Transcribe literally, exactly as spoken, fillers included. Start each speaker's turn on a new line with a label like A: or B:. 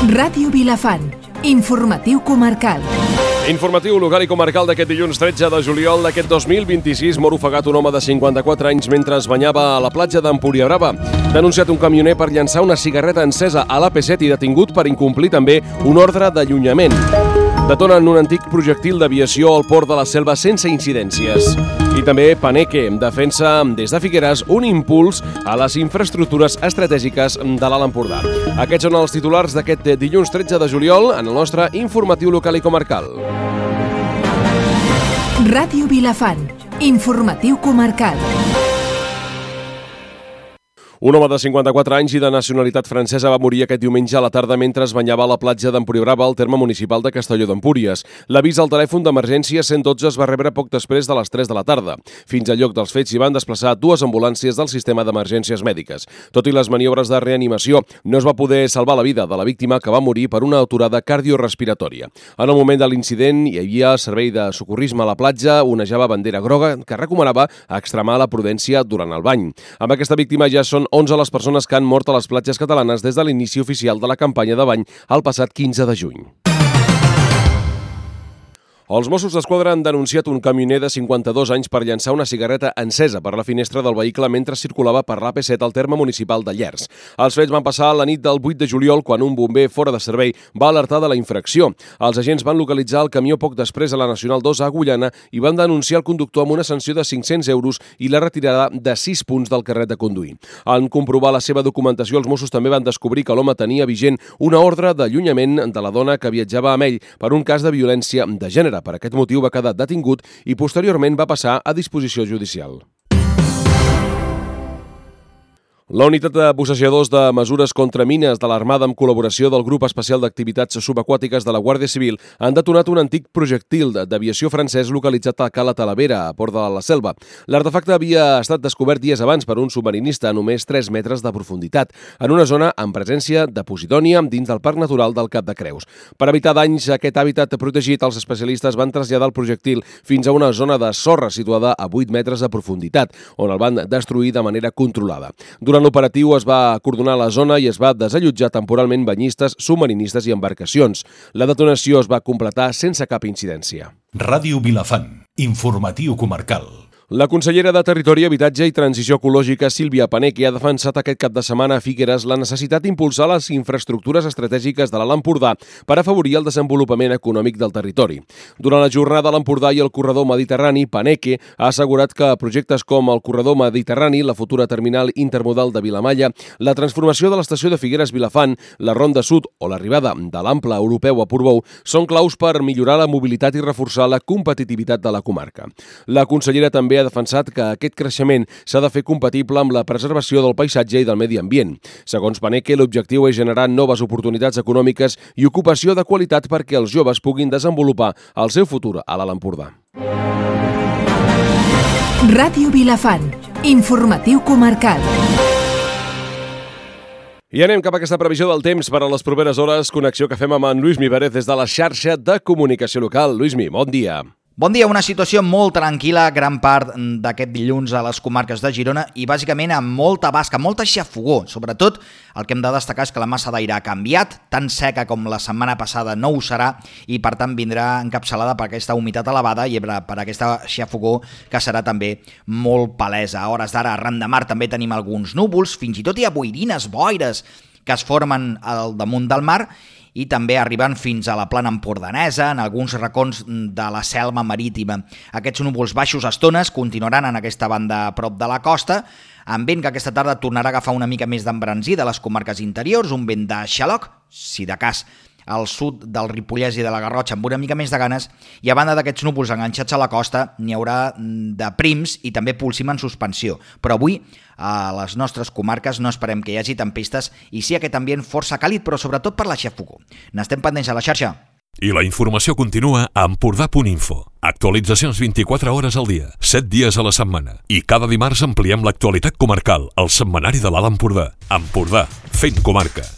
A: Ràdio Vilafant, informatiu comarcal.
B: Informatiu local i comarcal d'aquest dilluns tretze de juliol d'aquest dos mil vint-i-sis. Mor ofegat un home de cinquanta-quatre anys mentre es banyava a la platja d'Empúria Brava. Denunciat un camioner per llançar una cigarreta encesa a l'A P set i detingut per incomplir també un ordre d'allunyament. Detonen un antic projectil d'aviació al port de la Selva sense incidències. I també Paneque defensa des de Figueres un impuls a les infraestructures estratègiques de l'Alt Empordà. Aquests són els titulars d'aquest dilluns tretze de juliol en el nostre informatiu local i comarcal.
A: Ràdio Vilafant, informatiu comarcal.
B: Un home de cinquanta-quatre anys i de nacionalitat francesa va morir aquest diumenge a la tarda mentre es banyava a la platja d'Empúria Brava al terme municipal de Castelló d'Empúries. L'avís al telèfon d'emergència cent dotze es va rebre poc després de les tres de la tarda. Fins al lloc dels fets s'hi van desplaçar dues ambulàncies del sistema d'emergències mèdiques. Tot i les maniobres de reanimació, no es va poder salvar la vida de la víctima, que va morir per una aturada cardiorespiratòria. En el moment de l'incident hi havia servei de socorrisme a la platja, onejava bandera groga que recomanava extremar la prudència durant el bany. Amb aquesta víctima ja són onze les persones que han mort a les platges catalanes des de l'inici oficial de la campanya de bany el passat quinze de juny. Els Mossos d'Esquadra han denunciat un camioner de cinquanta-dos anys per llançar una cigarreta encesa per la finestra del vehicle mentre circulava per l'A P set al terme municipal de Llers. Els fets van passar la nit del vuit de juliol quan un bomber fora de servei va alertar de la infracció. Els agents van localitzar el camió poc després a la Nacional dos a Agullana i van denunciar el conductor amb una sanció de cinc-cents euros i la retirada de sis punts del carnet de conduir. En comprovar la seva documentació, els Mossos també van descobrir que l'home tenia vigent una ordre d'allunyament de la dona que viatjava amb ell per un cas de violència de gènere. Per aquest motiu va quedar detingut i posteriorment va passar a disposició judicial. La unitat de bussejadors de mesures contra mines de l'Armada amb col·laboració del Grup Especial d'Activitats Subaquàtiques de la Guàrdia Civil han detonat un antic projectil d'aviació francès localitzat a Cala Talavera, a Port de la Selva. L'artefacte havia estat descobert dies abans per un submarinista a només tres metres de profunditat, en una zona amb presència de posidònia dins del Parc Natural del Cap de Creus. Per evitar danys a aquest hàbitat protegit, els especialistes van traslladar el projectil fins a una zona de sorra situada a vuit metres de profunditat, on el van destruir de manera controlada. Durant Durant l'operatiu es va acordonar la zona i es va desallotjar temporalment banyistes, submarinistes i embarcacions. La detonació es va completar sense cap incidència.
C: Ràdio Vilafant, informatiu comarcal.
B: La consellera de Territori, Habitatge i Transició Ecològica, Sílvia Paneque, ha defensat aquest cap de setmana a Figueres la necessitat d'impulsar les infraestructures estratègiques de l'Alt Empordà per afavorir el desenvolupament econòmic del territori. Durant la jornada a l'Empordà i el corredor mediterrani, Paneque ha assegurat que projectes com el corredor mediterrani, la futura terminal intermodal de Vilamalla, la transformació de l'estació de Figueres-Vilafant, la Ronda Sud o l'arribada de l'ample europeu a Portbou són claus per millorar la mobilitat i reforçar la competitivitat de la comarca. La consellera també ha defensat que aquest creixement s'ha de fer compatible amb la preservació del paisatge i del medi ambient. Segons Paneque, l'objectiu és generar noves oportunitats econòmiques i ocupació de qualitat perquè els joves puguin desenvolupar el seu futur a l'Alt Empordà.
A: Ràdio Vilafant, informatiu comarcal.
B: I anem cap a aquesta previsió del temps per a les properes hores, connexió que fem amb en Lluís Pérez des de la xarxa de comunicació local. Lluís, bon dia.
D: Bon dia, una situació molt tranquil·la gran part d'aquest dilluns a les comarques de Girona i bàsicament amb molta basca, molta xafogó. Sobretot el que hem de destacar és que la massa d'aire ha canviat, tan seca com la setmana passada no ho serà i per tant vindrà encapçalada per aquesta humitat elevada i per aquesta xafogó que serà també molt palesa. A hores d'ara, arran de mar també tenim alguns núvols, fins i tot hi ha boirines, boires que es formen al damunt del mar i també arriben fins a la plana empordanesa, en alguns racons de la selva marítima. Aquests núvols baixos a estones continuaran en aquesta banda a prop de la costa, amb vent que aquesta tarda tornarà a agafar una mica més d'embranzí de les comarques interiors, un vent de xaloc, si de cas al sud del Ripollès i de la Garrotxa amb una mica més de ganes, i a banda d'aquests núvols enganxats a la costa n'hi haurà de prims i també pulsim en suspensió. Però avui a les nostres comarques no esperem que hi hagi tempestes i sí aquest ambient força càlid, però sobretot per la xafogó. N'estem pendents a la xarxa.
C: I la informació continua a empordà punt info. Actualitzacions vint-i-quatre hores al dia, set dies a la setmana. I cada dimarts ampliem l'actualitat comarcal, al setmanari de l'Alt Empordà. Empordà, fent comarca.